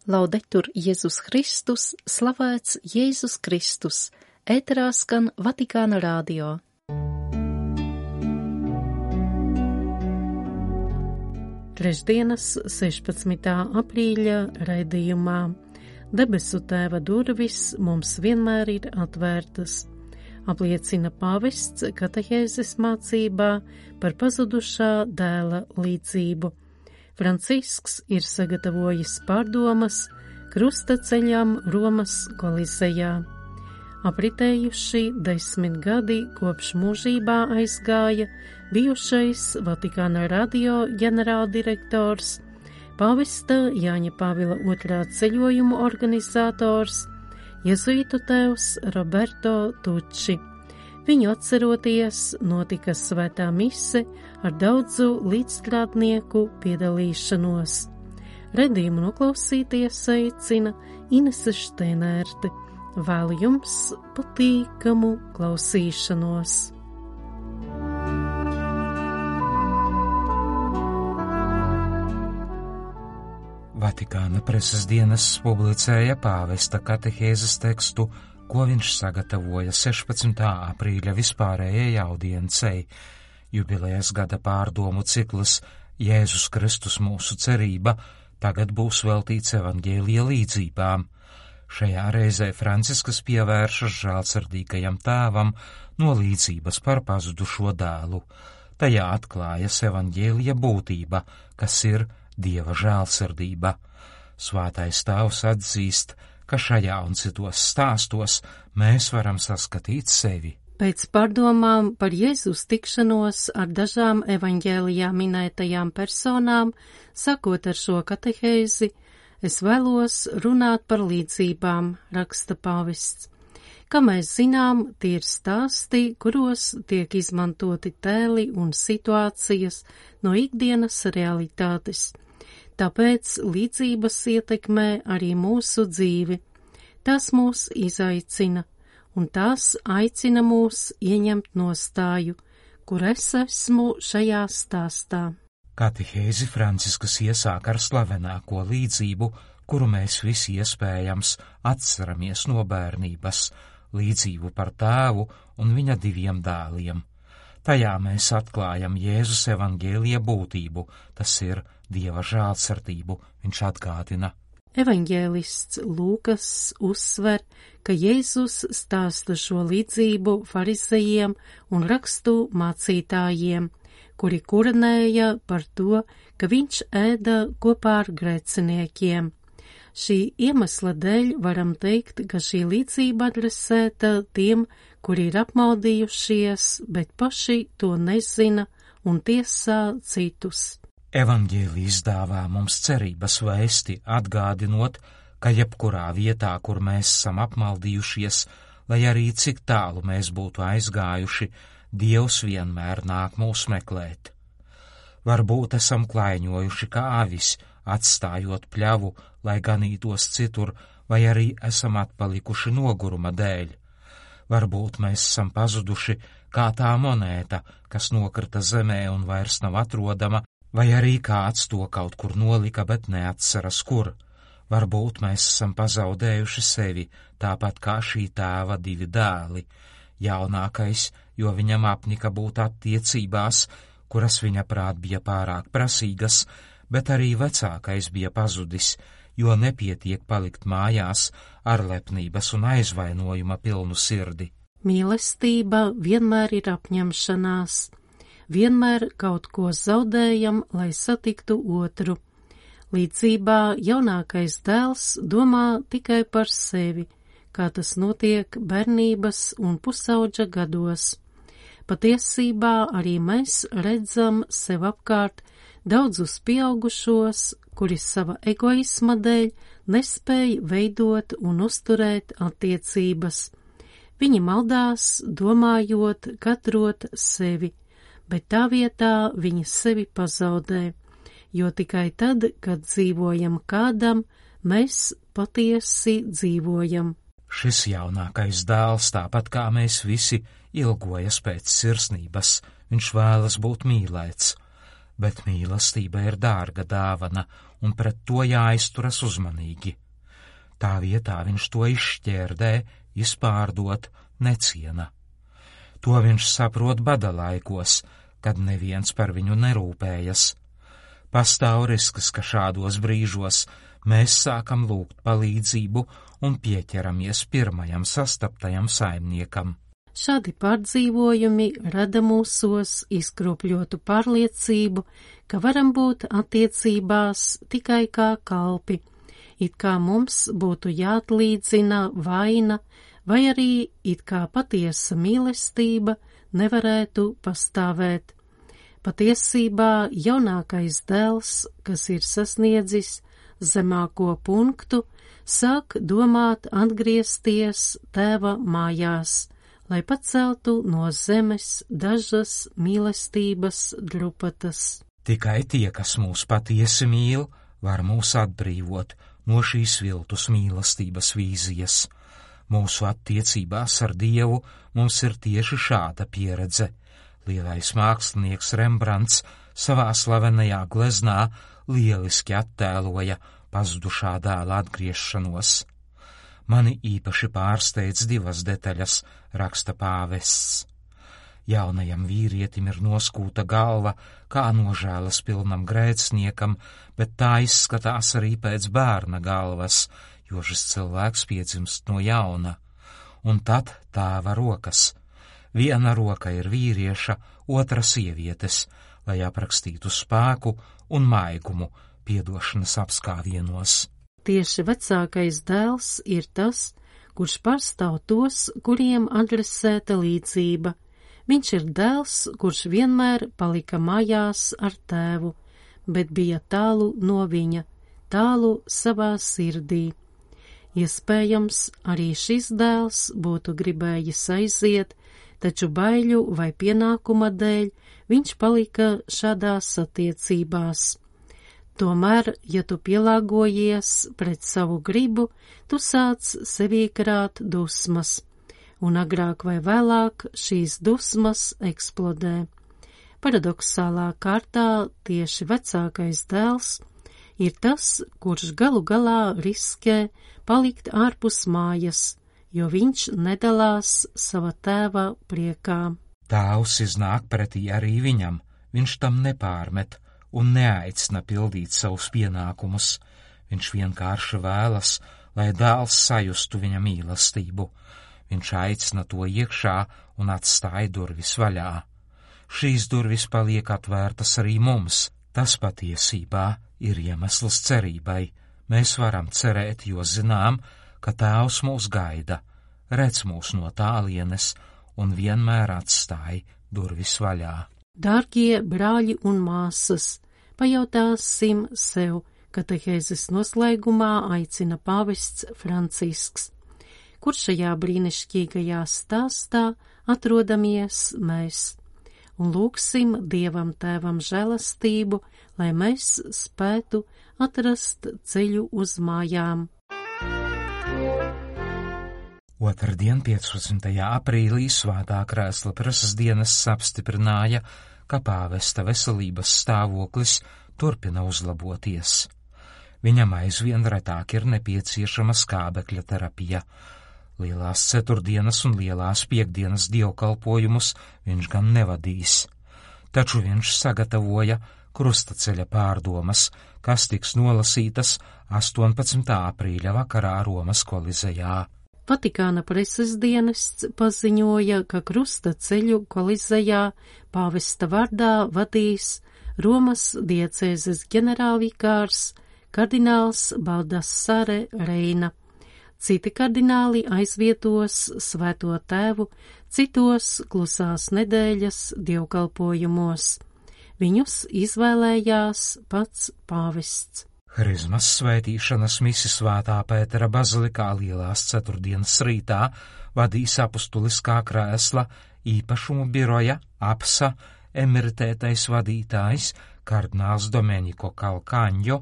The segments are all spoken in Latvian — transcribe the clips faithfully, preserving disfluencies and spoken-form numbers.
Laudetur Jēzus Kristus, slavēts Jēzus Kristus, ēterā skan Vatikāna radio. Trešdienas, sešpadsmitā aprīļa raidījumā Debesu Tēva durvis mums vienmēr ir atvērtas, apliecina pāvests katehēzes mācībā par pazudušā dēla līdzību. Francisks ir sagatavojis pārdomas krusta ceļam Romas Kolizejā. Apritējuši desmit gadi kopš mūžībā aizgāja bijušais Vatikāna radio ģenerāldirektors, pāvesta Jāņa Pāvila otrā ceļojumu organizators, jezuītu tēvs Roberto Tucci. Viņu atceroties, notika svētā mise ar daudzu līdzstrādnieku piedalīšanos. Redījumu noklausīties aicina Inese Šteinērte. Vēlu jums patīkamu klausīšanos. Vatikāna preses dienas publicēja pāvesta katehēzes tekstu, ko viņš sagatavoja sešpadsmitā aprīļa vispārējai audiencei. Jubilejas gada pārdomu cikls Jēzus Kristus mūsu cerība tagad būs veltīts evaņģēlija līdzībām. Šajā reizē Francisks pievēršas žēlsirdīgajam tēvam no līdzības par pazudušo dēlu. Tajā atklājas evaņģēlija būtība, kas ir Dieva žēlsirdība. Svētais tēvs atzīst, ka šajā un citos stāstos mēs varam saskatīt sevi. Pēc pārdomām par Jēzus tikšanos ar dažām evaņģēlijā minētajām personām, sakot ar šo katehēzi, es vēlos runāt par līdzībām, raksta pāvests. Kā mēs zinām, tie ir stāsti, kuros tiek izmantoti tēli un situācijas no ikdienas realitātes. Tāpēc līdzības ietekmē arī mūsu dzīvi. Tas mūs izaicina, un tās aicina mūs ieņemt nostāju, kur es esmu šajā stāstā. Katehēzi Francisks iesāk ar slavenāko līdzību, kuru mēs visi iespējams atceramies no bērnības, līdzību par tēvu un viņa diviem dēliem. Tajā mēs atklājam Jēzus evaņģēlija būtību, tas ir Dieva žēlsirdību, viņš atgādina. Evaņģēlists Lūkas uzsver, ka Jēzus stāsta šo līdzību farizejiem un rakstu mācītājiem, kuri kurinēja par to, ka viņš ēda kopā ar grēciniekiem. Šī iemesla dēļ varam teikt, ka šī līdzība adresēta tiem, kuri ir apmaldījušies, bet paši to nezina un tiesā citus. Evaņģēlijs dāvā mums cerības vēsti, atgādinot, ka jebkurā vietā, kur mēs esam apmaldījušies, lai arī cik tālu mēs būtu aizgājuši, Dievs vienmēr nāk mūs meklēt. Varbūt esam klaiņojuši kā avis, atstājot pļavu, lai ganītos citur, vai arī esam atpalikuši noguruma dēļ. Varbūt mēs esam pazuduši kā tā monēta, kas nokrita zemē un vairs nav atrodama, vai arī kāds to kaut kur nolika, bet neatceras kur. Varbūt mēs esam pazaudējuši sevi, tāpat kā šī tēva divi dēli. Jaunākais, jo viņam apnika būt attiecībās, kuras viņa prāt bija pārāk prasīgas, bet arī vecākais bija pazudis, jo nepietiek palikt mājās ar lepnības un aizvainojuma pilnu sirdi. Mīlestība vienmēr ir apņemšanās. Vienmēr kaut ko zaudējam, lai satiktu otru. Līdzībā jaunākais dēls domā tikai par sevi, kā tas notiek bērnības un pusaudža gados. Patiesībā arī mēs redzam sev apkārt daudzus pieaugušos, kuri sava egoisma dēļ nespēj veidot un uzturēt attiecības. Viņi maldās, domājot, katrot sevi, bet tā vietā viņi sevi pazaudē, jo tikai tad, kad dzīvojam kādam, mēs patiesi dzīvojam. Šis jaunākais dēls, tāpat kā mēs visi, ilgojas pēc sirsnības, viņš vēlas būt mīlēts, bet mīlestība ir dārga dāvana, un pret to jāizturas uzmanīgi. Tā vietā viņš to izšķērdē, izpārdot, neciena. To viņš saprot bada laikos, kad neviens par viņu nerūpējas. Pastāv risks, ka šādos brīžos mēs sākam lūgt palīdzību un pieķeramies pirmajam sastaptajam saimniekam. Šādi pārdzīvojumi rada mūsos izkropļotu pārliecību, ka varam būt attiecībās tikai kā kalpi, it kā mums būtu jāatlīdzina vaina, vai arī it kā patiesa mīlestība nevarētu pastāvēt. Patiesībā jaunākais dēls, kas ir sasniedzis zemāko punktu, sāk domāt atgriezties tēva mājās, lai paceltu no zemes dažas mīlestības drupatas. Tikai tie, kas mūs patiesi mīl, var mūs atbrīvot no šīs viltus mīlestības vīzijas. Mūsu attiecībās ar Dievu mums ir tieši šāda pieredze. Lielais mākslinieks Rembrandts savā slavenajā gleznā lieliski attēloja pazudušā dēla atgriešanos. Mani īpaši pārsteidz divas detaļas, raksta pāvests. Jaunajam vīrietim ir noskūta galva, kā nožēlas pilnam grēciniekam, bet tā izskatās arī pēc bērna galvas, jo šis cilvēks piedzimst no jauna. Un tad tēva rokas. Viena roka ir vīrieša, otra sievietes, lai aprakstītu spēku un maigumu piedošanas apskāvienos. Tieši vecākais dēls ir tas, kurš pārstāv tos, kuriem adresēta līdzība. Viņš ir dēls, kurš vienmēr palika mājās ar tēvu, bet bija tālu no viņa, tālu savā sirdī. Iespējams, arī šis dēls būtu gribējis aiziet, taču baiļu vai pienākuma dēļ viņš palika šādās attiecībās. Tomēr, ja tu pielāgojies pret savu gribu, tu sāc sevī krāt dusmas, un agrāk vai vēlāk šīs dusmas eksplodē. Paradoksālā kārtā tieši vecākais dēls ir tas, kurš galu galā riskē palikt ārpus mājas, jo viņš nedalās sava tēva priekā. Tēvs iznāk pretī arī viņam, viņš tam nepārmet un neaicina pildīt savus pienākumus. Viņš vienkārši vēlas, lai dēls sajustu viņa mīlestību. Viņš aicina to iekšā un atstāja durvis vaļā. Šīs durvis paliek atvērtas arī mums. Tas patiesībā ir iemesls cerībai. Mēs varam cerēt, jo zinām, ka Tēvs mūs gaida, redz mūs no tālienes un vienmēr atstāja durvis vaļā. Dārgie brāļi un māsas, pajautāsim sev, katehēzes noslēgumā aicina pāvests Francisks. Kur šajā brīnišķīgajā stāstā atrodamies mēs? Un lūgsim Dievam Tēvam žēlastību, lai mēs spētu atrast ceļu uz mājām. Otrdien, piecpadsmitajā aprīlī, Svētā Krēsla Preses dienas apstiprināja, ka pāvesta veselības stāvoklis turpina uzlaboties. Viņam aizvien retāk ir nepieciešama skābekļa terapija. Lielās ceturtdienas un lielās piekdienas dievkalpojumus viņš gan nevadīs, taču viņš sagatavoja krustaceļa pārdomas, kas tiks nolasītas astoņpadsmitā aprīļa vakarā Romas kolizejā. Vatikāna preses dienests paziņoja, ka krustaceļu kolizejā pāvesta vārdā vadīs Romas diecēzes ģenerālvikārs kardināls Baldassare Reina. Citi kardināli aizvietos Svēto Tēvu citos klusās nedēļas dievkalpojumos. Viņus izvēlējās pats pāvests. Harizmas svētīšanas misi Svētā Pētera bazilikā lielās ceturtdienas rītā vadīs apustuliskā krēsla īpašumu biroja apsa emeritētais vadītājs kardināls Domenico Calcagno,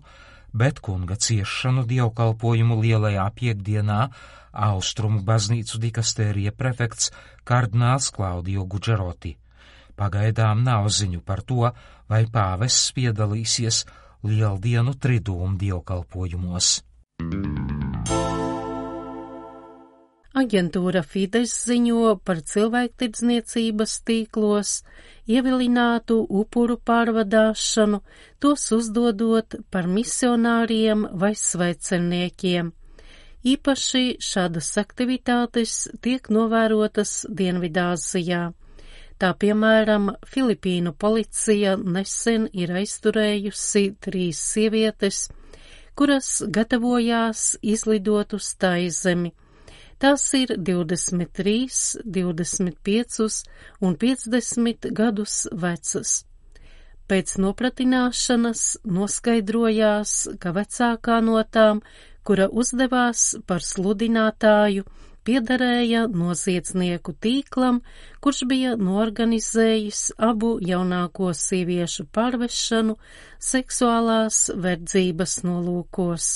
bet kunga ciešanu dievkalpojumu lielajā piekdienā Austrumu baznīcu dikastērija prefekts kardināls Klaudio Guģeroti. Pagaidām nav ziņu par to, vai pāvests piedalīsies lieldienu tridūmu dievkalpojumos. Aģentūra Fides ziņo par cilvēktirdzniecības tīklos ievilinātu upuru pārvadāšanu, tos uzdodot par misionāriem vai svecerniekiem. Īpaši šādas aktivitātes tiek novērotas Dienvidāzijā. Tā piemēram, Filipīnu policija nesen ir aizturējusi trīs sievietes, kuras gatavojās izlidot uz Taizemi. Tās ir divdesmit trīs, divdesmit pieci un piecdesmit gadus vecas. Pēc nopratināšanas noskaidrojās, ka vecākā no tām, kura uzdevās par sludinātāju, piederēja noziedznieku tīklam, kurš bija noorganizējis abu jaunāko sieviešu pārvešanu seksuālās verdzības nolūkos.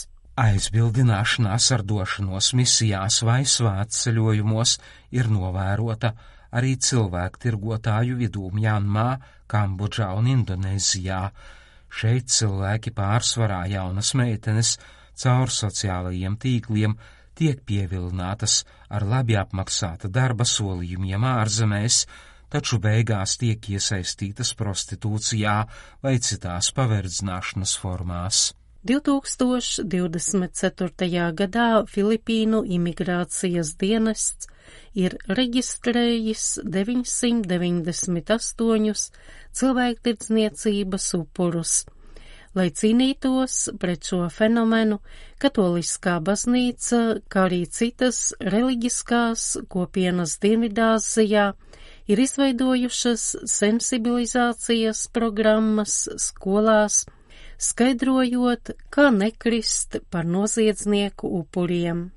Aizbildināšanās ar došanos misijās vai svētceļojumos ir novērota arī cilvēku tirgotāju vidū Mjanmā, Kambodžā un Indonēzijā. Šeit cilvēki pārsvarā jaunas meitenes caur sociālajiem tīkliem tiek pievilinātas ar labi apmaksāta darba solījumiem ārzemēs, taču beigās tiek iesaistītas prostitūcijā vai citās paverdzināšanas formās. divtūkstoš divdesmit ceturtajā gadā Filipīnu imigrācijas dienests ir reģistrējis deviņsimt deviņdesmit astoņus cilvēktirdzniecības upurus. Lai cīnītos pret šo fenomenu, Katoliskā baznīca, kā arī citas reliģiskās kopienas Dienvidāzijā, ir izveidojušas sensibilizācijas programmas skolās, skaidrojot, kā nekrist par noziedznieku upuriem.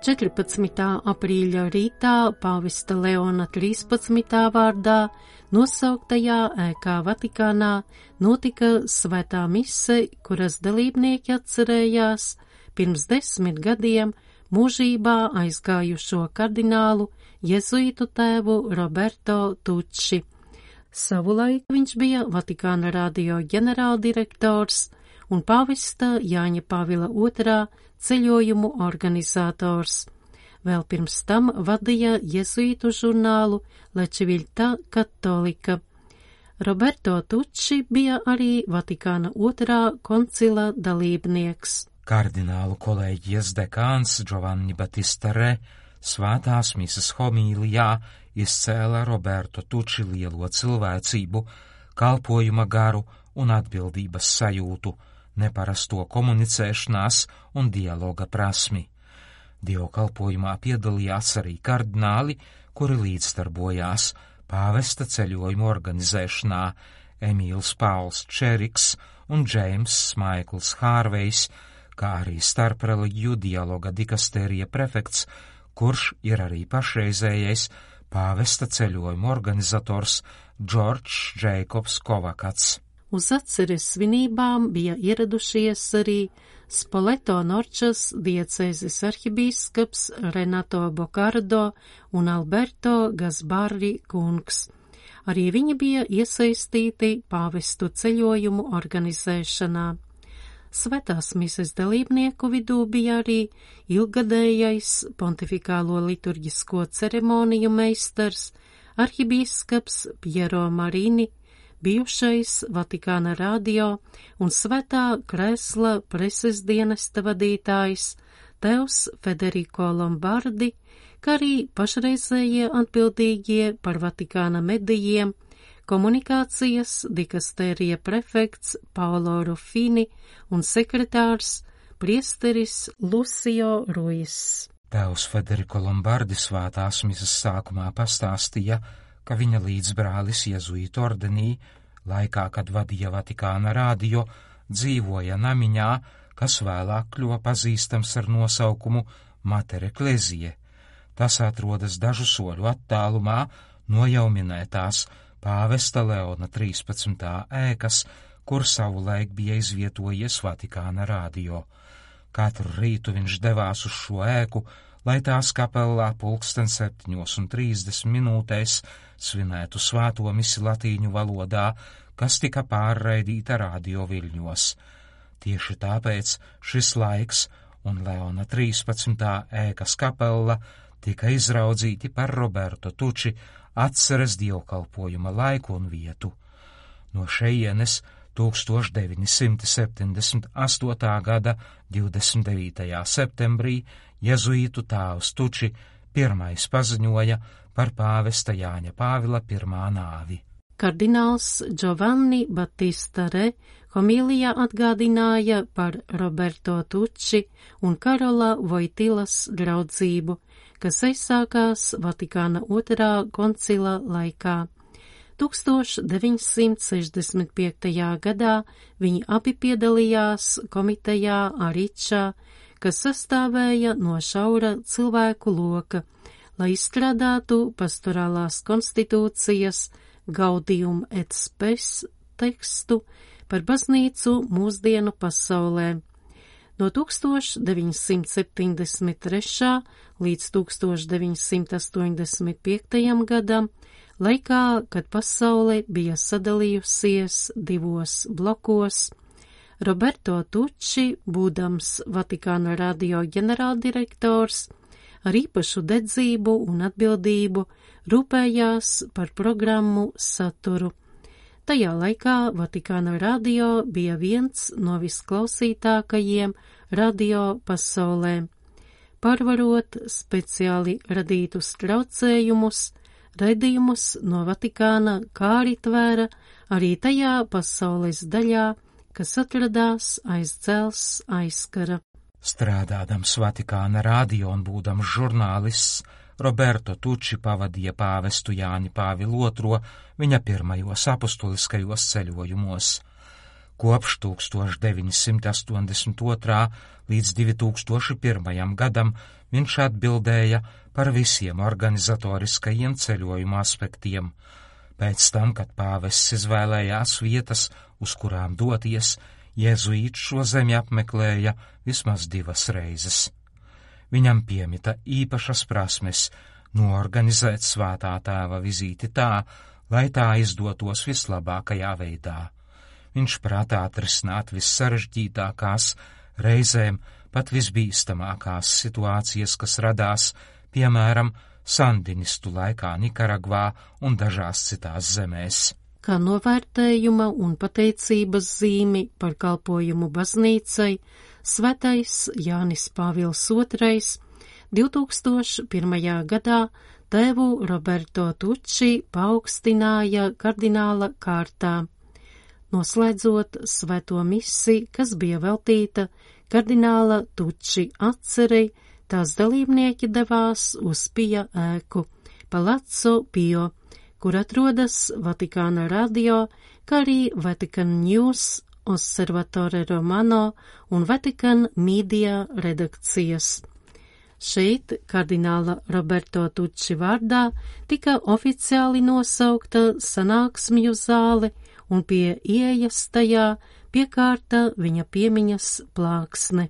četrpadsmitā aprīļa rītā pāvesta Leona trīspadsmitā vārdā nosauktajā ēkā Vatikānā notika svētā mise, kuras dalībnieki atcerējās pirms desmit gadiem mūžībā aizgājušo kardinālu jezuītu tēvu Roberto Tucci. Savulaik viņš bija Vatikāna radio ģenerāldirektors un pāvesta Jāņa Pāvila otrā ceļojumu organizators. Vēl pirms tam vadīja jezuītu žurnālu La Civiltà Cattolica. Roberto Tucci bija arī Vatikāna otrā koncila dalībnieks. Kardinālu kolēģijas dekāns Giovanni Battista Re svētās mises homīlijā izcēla Roberto Tucci lielo cilvēcību, kalpojuma garu un atbildības sajūtu, neparasto komunicēšanās un dialoga prasmi. Dievkalpojumā piedalījās arī kardināli, kuri līdzdarbojās pāvesta ceļojumu organizēšanā – Emīls Pauls Čeriks un Džeims Maikls Hārvejs, kā arī starpreligiju dialoga dikastērija prefekts, kurš ir arī pašreizējais pāvesta ceļojumu organizators Džordžs Džeikobs Kovakats. Uz atceres svinībām bija ieradušies arī Spoleto Norčas diecēzes arhibīskaps Renato Bokardo un Alberto Gasbarri kungs. Arī viņi bija iesaistīti pāvestu ceļojumu organizēšanā. Svētās mises dalībnieku vidū bija arī ilgadējais pontifikālo liturģisko ceremoniju meistars, arhibīskaps Piero Marini, bijušais Vatikāna radio un Svētā Krēsla preses dienesta vadītājs Tevs Federico Lombardi, kā arī pašreizējie atbildīgie par Vatikāna medijiem, komunikācijas dikastērija prefekts Paolo Ruffini un sekretārs priesteris Lucio Ruiz. Tevs Federico Lombardi svētās mises sākumā pastāstīja, ka viņa līdzbrālis jezuītu ordenī, laikā, kad vadīja Vatikāna radio, dzīvoja namiņā, kas vēlāk kļuva pazīstams ar nosaukumu Mater Ecclesiae. Tas atrodas dažu soļu attālumā no jau minētās pāvesta Leona trīspadsmitā ēkas, kur savulaik bija izvietojies Vatikāna radio. Katru rītu viņš devās uz šo ēku, lai tās kapelā pulksten septiņos un trīsdesmit minūtēs svinētu svēto misi latīņu valodā, kas tika pārraidīta radio viļņos. Tieši tāpēc šis laiks un Leona trīspadsmitā ēkas kapella tika izraudzīti par Roberto Tuči atceres dievkalpojuma laiku un vietu. No šejienes tūkstoš deviņi simti septiņdesmit astotā gada divdesmit devītajā septembrī jezuītu tēvs Tuči pirmais paziņoja par pāvesta Jāņa Pāvila pirmā nāvi. Kardināls Giovanni Battista Re homilijā atgādināja par Roberto Tuči un Karola Vojtilas draudzību, kas aizsākās Vatikāna otrā koncila laikā. tūkstoš deviņsimt sešdesmit piektajā gadā viņi abi piedalījās komitejā Aričā, kas sastāvēja no šaura cilvēku loka, lai izstrādātu pastorālās konstitūcijas Gaudium et Spes tekstu par baznīcu mūsdienu pasaulē. No tūkstoš deviņsimt septiņdesmit trešā līdz tūkstoš deviņsimt astoņdesmit piektajam gadam, laikā, kad pasaule bija sadalījusies divos blokos, Roberto Tuči, būdams Vatikāna radio ģenerāldirektors, ar īpašu dedzību un atbildību rūpējās par programmu saturu. Tajā laikā Vatikāna radio bija viens no visklausītākajiem radio pasaulē. Pārvarot speciāli radītus traucējumus, raidījumus no Vatikāna kā arī tvēra arī tajā pasaules daļā, kas atradās aiz dzels aizkara. Strādādams Vatikāna radio un būdams žurnālists, Roberto Tuči pavadīja pāvestu Jāni Pāvilu otro viņa pirmajos apustuliskajos ceļojumos. Kopš tūkstoš deviņi simti astoņdesmit otrā līdz divi tūkstoši pirmajam gadam viņš atbildēja par visiem organizatoriskajiem ceļojuma aspektiem. Pēc tam, kad pāvests izvēlējās vietas, uz kurām doties, jēzuīts šo zemi apmeklēja vismaz divas reizes. Viņam piemita īpašas prasmes noorganizēt svētā tēva vizīti tā, lai tā izdotos vislabākajā veidā. Viņš prātā atrisināt vissarežģītākās, reizēm pat visbīstamākās situācijas, kas radās, piemēram, sandinistu laikā Nikaragvā un dažās citās zemēs. Kā novērtējuma un pateicības zīmi par kalpojumu baznīcai, Svētais Jānis Pāvils otrais divi tūkstoši pirmajā gadā tēvu Roberto Tuči paaugstināja kardināla kārtā, noslēdzot svēto misi, kas bija veltīta kardināla Tuči atcerei. Tās dalībnieki devās uz Pija ēku, Palazzo Pio, kur atrodas Vatikāna radio, kā arī Vatican News, Osservatore Romano un Vatican Media redakcijas. Šeit kardināla Roberto Tuči vārdā tika oficiāli nosaukta sanāksmju zāle un pie ieejas tajā piekārta viņa piemiņas plāksne.